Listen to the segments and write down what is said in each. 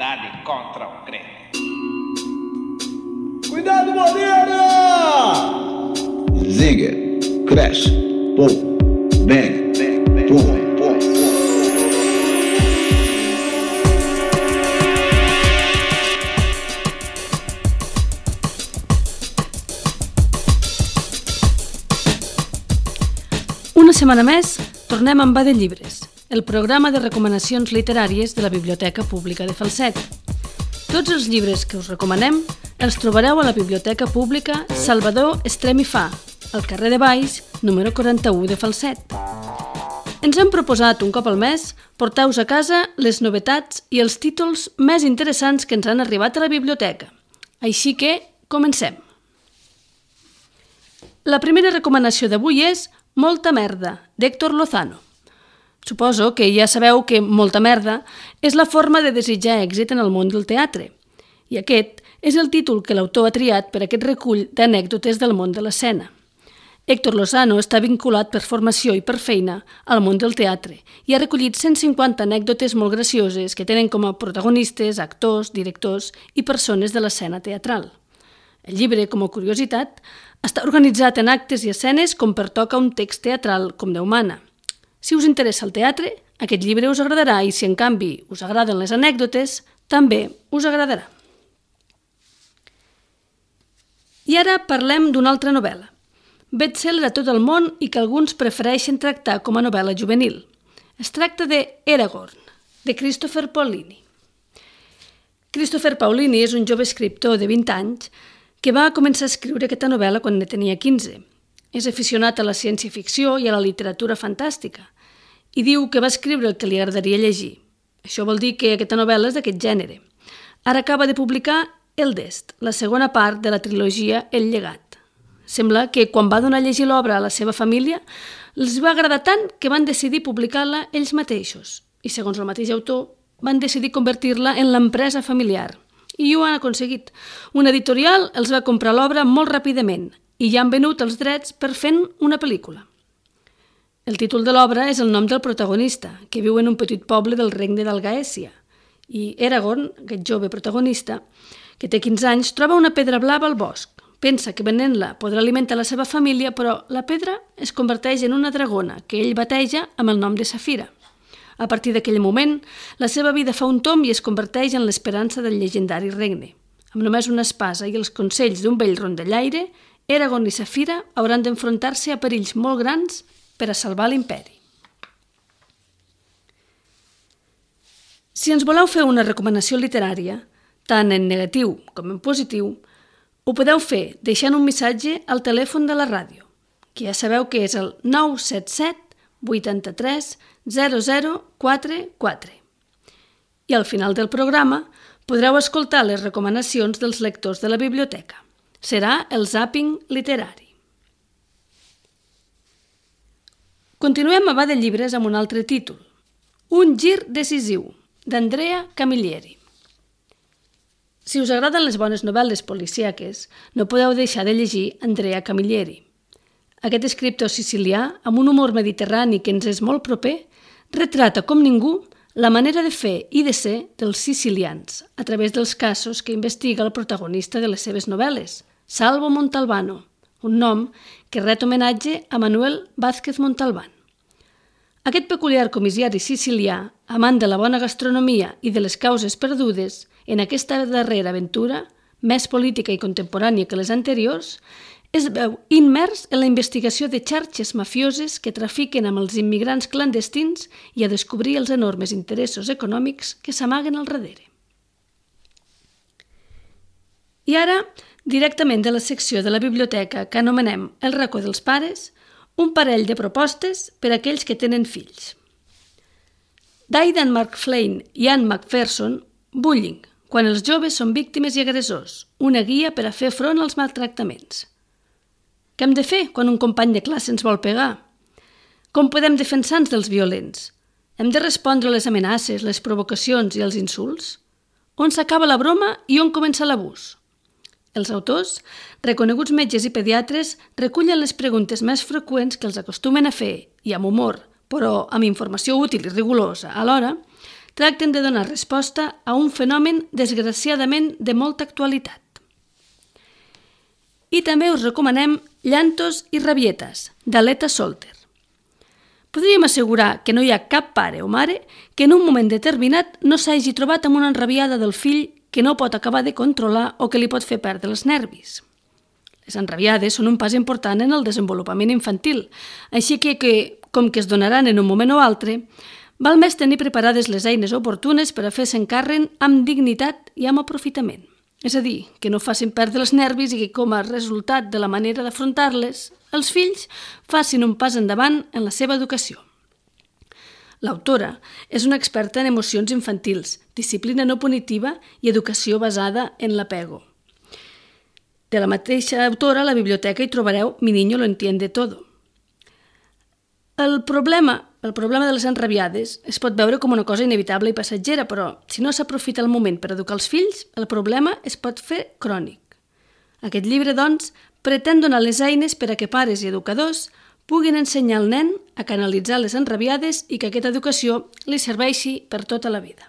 humanidade contra o crente. Cuidado, Moreira! Zinger, crash, pum, bang, pum, pum. Una setmana més, tornem amb Va de Llibres, el programa de recomanacions literàries de la Biblioteca Pública de Falset. Tots els llibres que us recomanem els trobareu a la Biblioteca Pública Salvador Estrem i Fa, al carrer de Baix, número 41 de Falset. Ens hem proposat un cop al mes portar-vos a casa les novetats i els títols més interessants que ens han arribat a la biblioteca. Així que, comencem. La primera recomanació d'avui és Molta merda, d'Héctor Lozano. Suposo que ja sabeu que molta merda és la forma de desitjar èxit en el món del teatre. I aquest és el títol que l'autor ha triat per aquest recull d'anècdotes del món de l'escena. Héctor Lozano està vinculat per formació i per feina al món del teatre i ha recollit 150 anècdotes molt gracioses que tenen com a protagonistes actors, directors i persones de l'escena teatral. El llibre, com a curiositat, està organitzat en actes i escenes com pertoca un text teatral com Déu mana. Si us interessa el teatre, aquest llibre us agradarà i si en canvi us agraden les anècdotes, també us agradarà. I ara parlem d'una altra novel·la, best-seller a tot el món i que alguns prefereixen tractar com a novel·la juvenil. Es tracta de Eragon, de Christopher Paolini. Christopher Paolini és un jove escriptor de 20 anys que va començar a escriure aquesta novel·la quan ne tenia 15. És aficionat a la ciència-ficció i a la literatura fantàstica i diu que va escriure el que li agradaria llegir. Això vol dir que aquesta novel·la és d'aquest gènere. Ara acaba de publicar El Dest, la segona part de la trilogia El llegat. Sembla que quan va donar a llegir l'obra a la seva família els va agradar tant que van decidir publicar-la ells mateixos i, segons el mateix autor, van decidir convertir-la en l'empresa familiar. I ho han aconseguit. Una editorial els va comprar l'obra molt ràpidament i ja han venut els drets per fent una pel·lícula. El títol de l'obra és el nom del protagonista, que viu en un petit poble del regne d'Algaèsia. I Eragon, aquest jove protagonista, que té 15 anys, troba una pedra blava al bosc. Pensa que venent-la podrà alimentar la seva família, però la pedra es converteix en una dragona que ell bateja amb el nom de Safira. A partir d'aquell moment, la seva vida fa un tomb i es converteix en l'esperança del llegendari regne. Amb només una espasa i els consells d'un vell rondallaire, Eragon i Safira hauran d'enfrontar-se a perills molt grans per a salvar l'imperi. Si ens voleu fer una recomanació literària, tant en negatiu com en positiu, ho podeu fer deixant un missatge al telèfon de la ràdio, que ja sabeu que és el 977 83 0044. I al final del programa podreu escoltar les recomanacions dels lectors de la biblioteca. Serà el zàping literari. Continuem a Va de Llibres amb un altre títol. Un gir decisiu, d'Andrea Camilleri. Si us agraden les bones novel·les policíaques, no podeu deixar de llegir Andrea Camilleri. Aquest escriptor sicilià, amb un humor mediterrani que ens és molt proper, retrata com ningú la manera de fer i de ser dels sicilians a través dels casos que investiga el protagonista de les seves novel·les, Salvo Montalbano, un nom que ret homenatge a Manuel Vázquez Montalbán. Aquest peculiar comissari sicilià, amant de la bona gastronomia i de les causes perdudes, en aquesta darrera aventura, més política i contemporània que les anteriors, es veu immers en la investigació de xarxes mafioses que trafiquen amb els immigrants clandestins i a descobrir els enormes interessos econòmics que s'amaguen al darrere. I ara, directament de la secció de la biblioteca que anomenem El racó dels pares, un parell de propostes per a aquells que tenen fills. D'Aidan McFlane i Anne McPherson, Bullying, quan els joves són víctimes i agressors, una guia per a fer front als maltractaments. Què hem de fer quan un company de classe ens vol pegar? Com podem defensar-nos dels violents? Hem de respondre a les amenaces, les provocacions i els insults? On s'acaba la broma i on comença l'abús? Els autors, reconeguts metges i pediatres, recullen les preguntes més freqüents que els acostumen a fer i amb humor, però amb informació útil i rigorosa alhora, tracten de donar resposta a un fenomen desgraciadament de molta actualitat. I també us recomanem Llantos i rabietes, d'Aleta Solter. Podríem assegurar que no hi ha cap pare o mare que en un moment determinat no s'hagi trobat amb una enrabiada del fill que no pot acabar de controlar o que li pot fer perdre els nervis. Les enrabiades són un pas important en el desenvolupament infantil, així que com que es donaran en un moment o altre, val més tenir preparades les eines oportunes per a fer-se'n càrrec amb dignitat i amb aprofitament. És a dir, que no facin perdre els nervis i que com a resultat de la manera d'afrontar-les, els fills facin un pas endavant en la seva educació. L'autora és una experta en emocions infantils, disciplina no punitiva i educació basada en l'apego. De la mateixa autora, a la biblioteca hi trobareu Mi niño lo entiende todo. El problema de les enrabiades es pot veure com una cosa inevitable i passatgera, però si no s'aprofita el moment per educar els fills, el problema es pot fer crònic. Aquest llibre, doncs, pretén donar les eines per a que pares i educadors puguin ensenyar al nen a canalitzar les enrabiades i que aquesta educació li serveixi per tota la vida.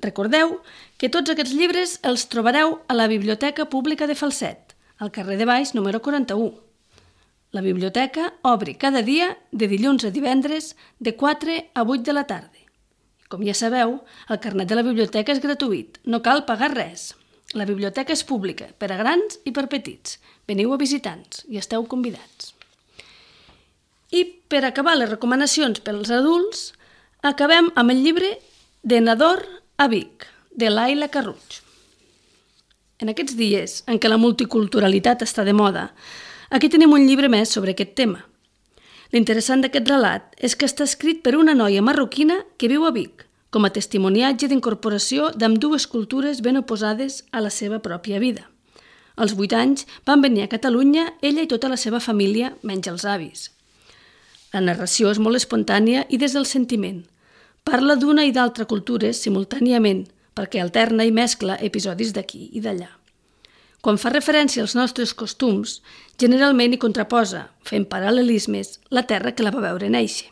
Recordeu que tots aquests llibres els trobareu a la Biblioteca Pública de Falset, al carrer de Baix, número 41. La biblioteca obri cada dia de dilluns a divendres de 4 a 8 de la tarda. Com ja sabeu, el carnet de la biblioteca és gratuït, no cal pagar res. La biblioteca és pública, per a grans i per petits. Veniu a visitants i esteu convidats. I per acabar les recomanacions pels adults, acabem amb el llibre De Nador a Vic, de Laila Carruig. En aquests dies en què la multiculturalitat està de moda, aquí tenim un llibre més sobre aquest tema. L'interessant d'aquest relat és que està escrit per una noia marroquina que viu a Vic, com a testimoniatge d'incorporació d'ambdues cultures ben oposades a la seva pròpia vida. Als 8 anys van venir a Catalunya ella i tota la seva família, menys els avis. La narració és molt espontània i des del sentiment. Parla d'una i d'altra cultures simultàniament, perquè alterna i mescla episodis d'aquí i d'allà. Quan fa referència als nostres costums, generalment hi contraposa, fent paral·lelismes, la terra que la va veure néixer.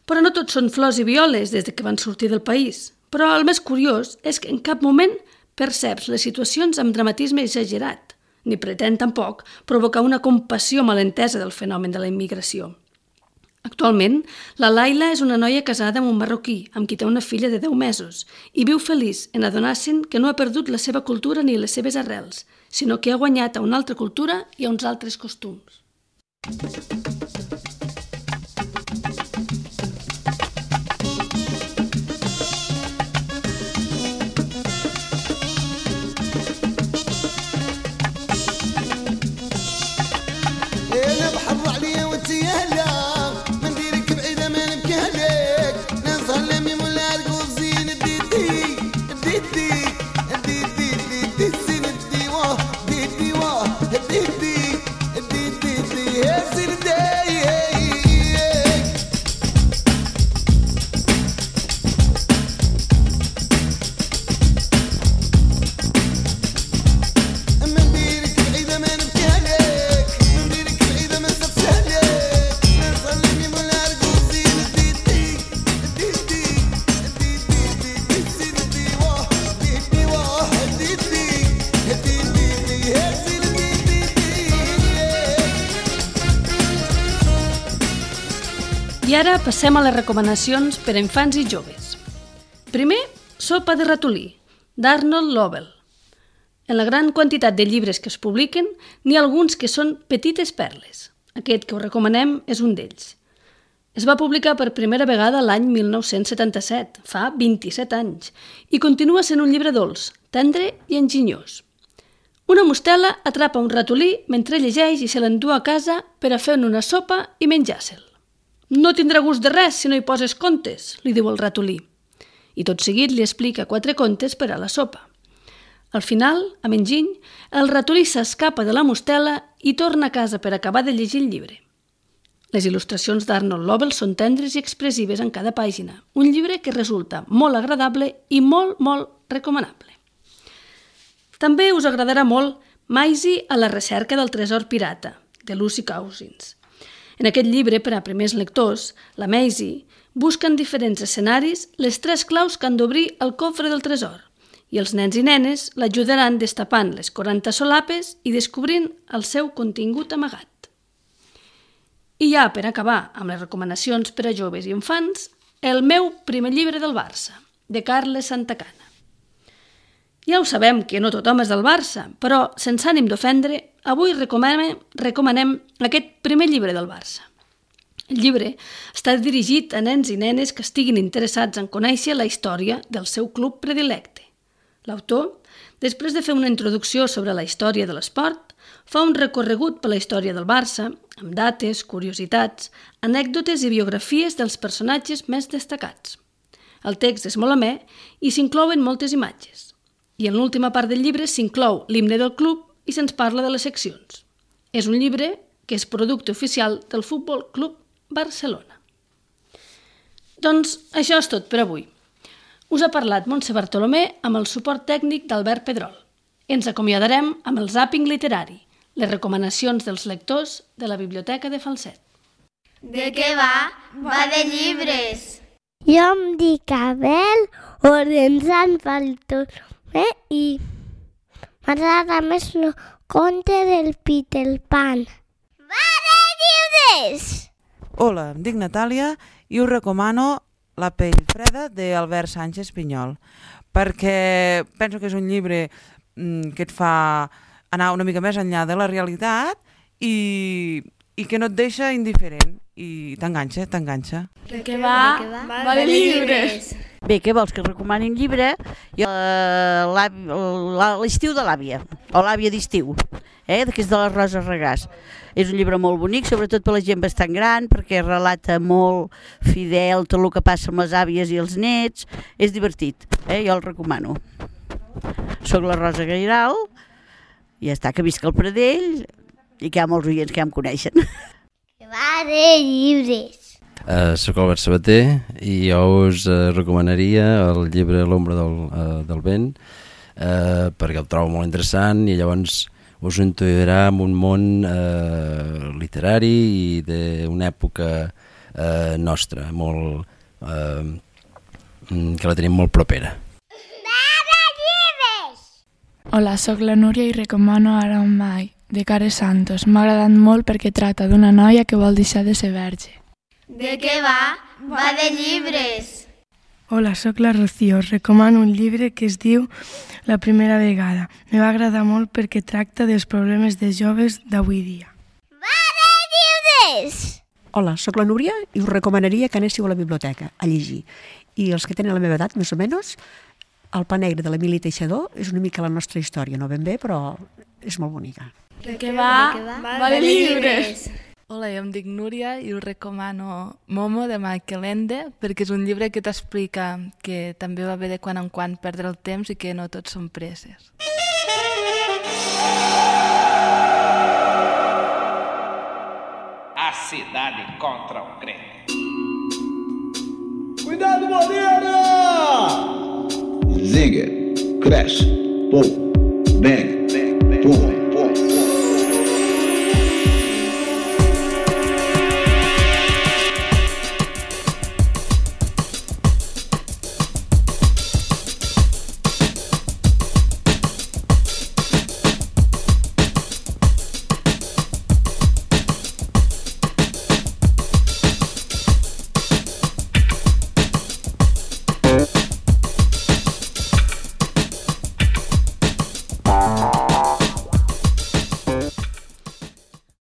Però no tots són flors i violes des que van sortir del país. Però el més curiós és que en cap moment perceps les situacions amb dramatisme exagerat, ni pretén tampoc provocar una compassió malentesa del fenomen de la immigració. Actualment, la Laila és una noia casada amb un marroquí, amb qui té una filla de 10 mesos, i viu feliç en adonar-se'n que no ha perdut la seva cultura ni les seves arrels, sinó que ha guanyat a una altra cultura i a uns altres costums. I ara passem a les recomanacions per a infants i joves. Primer, Sopa de ratolí, d'Arnold Lobel. En la gran quantitat de llibres que es publiquen, n'hi ha alguns que són petites perles. Aquest que us recomanem és un d'ells. Es va publicar per primera vegada l'any 1977, fa 27 anys, i continua sent un llibre dolç, tendre i enginyós. Una mostela atrapa un ratolí mentre llegeix i se l'endú a casa per a fer-ne una sopa i menjar-se'l. No tindrà gust de res si no hi poses contes, li diu el ratolí. I tot seguit li explica 4 contes per a la sopa. Al final, amb enginy, el ratolí s'escapa de la mostela i torna a casa per acabar de llegir el llibre. Les il·lustracions d'Arnold Lobel són tendres i expressives en cada pàgina, un llibre que resulta molt agradable i molt, molt recomanable. També us agradarà molt Maisie a la recerca del tresor pirata, de Lucy Cousins. En aquest llibre, per a primers lectors, la Maisie busca en diferents escenaris les 3 claus que han d'obrir el cofre del tresor i els nens i nenes l'ajudaran destapant les 40 solapes i descobrint el seu contingut amagat. I ja, per acabar amb les recomanacions per a joves i infants, el meu primer llibre del Barça, de Carles Santacana. Ja ho sabem que no tothom és del Barça, però sense ànim d'ofendre, avui recomanem aquest primer llibre del Barça. El llibre està dirigit a nens i nenes que estiguin interessats en conèixer la història del seu club predilecte. L'autor, després de fer una introducció sobre la història de l'esport, fa un recorregut per la història del Barça, amb dates, curiositats, anècdotes i biografies dels personatges més destacats. El text és molt amè i s'inclouen moltes imatges. I en l'última part del llibre s'inclou l'himne del club i se'ns parla de les seccions. És un llibre que és producte oficial del Futbol Club Barcelona. Doncs això és tot per avui. Us ha parlat Montse Bartolomé amb el suport tècnic d'Albert Pedrol. Ens acomiadarem amb el zàping literari, les recomanacions dels lectors de la Biblioteca de Falset. De què va? Va de llibres. Jo em dic Abel Orenzan Bartolomé i m'agrada més el conte del Peter Pan. Va de llibres! Hola, em dic Natàlia i us recomano La pell freda d'Albert Sánchez Pinyol, perquè penso que és un llibre que et fa anar una mica més enllà de la realitat i que no et deixa indiferent i t'enganxa. De què va? Va de llibres! Bé, què vols, que et recomani un llibre? L'estiu de l'àvia, o l'àvia d'estiu, que és de la Rosa Regàs. És un llibre molt bonic, sobretot per la gent bastant gran, perquè relata molt fidel tot el que passa amb les àvies i els nets. És divertit, jo el recomano. Soc la Rosa Gairal, i ja està, que visc al Pradell, i que hi ha molts oients que ja em coneixen. Va de llibres. Soc Albert Sabater i jo us recomanaria el llibre L'ombra del vent, perquè el trobo molt interessant i llavors us introduirà en un món literari i d'una època nostra, molt, que la tenim molt propera. Hola, sóc la Núria i recomano Ara o mai, de Care Santos. M'ha agradat molt perquè tracta d'una noia que vol deixar de ser verge. De què va? Va de llibres. Hola, sóc la Rocío. Us recomano un llibre que es diu La primera vegada. Me va agradar molt perquè tracta dels problemes de joves d'avui dia. Va de llibres! Hola, sóc la Núria i us recomanaria que anéssiu a la biblioteca a llegir. I els que tenen la meva edat, més o menys, El pa negre de l'Emili Teixidor és una mica la nostra història, no ben bé, però és molt bonica. De què va? Va de llibres! Hola, jo em dic Núria i us recomano Momo de Michael Ende perquè és un llibre que t'explica que també va bé de quan en quan perdre el temps i que no tots són presses. A cidade contra o crente. Cuidado, Moreira! Zinger, crash, boom, bang.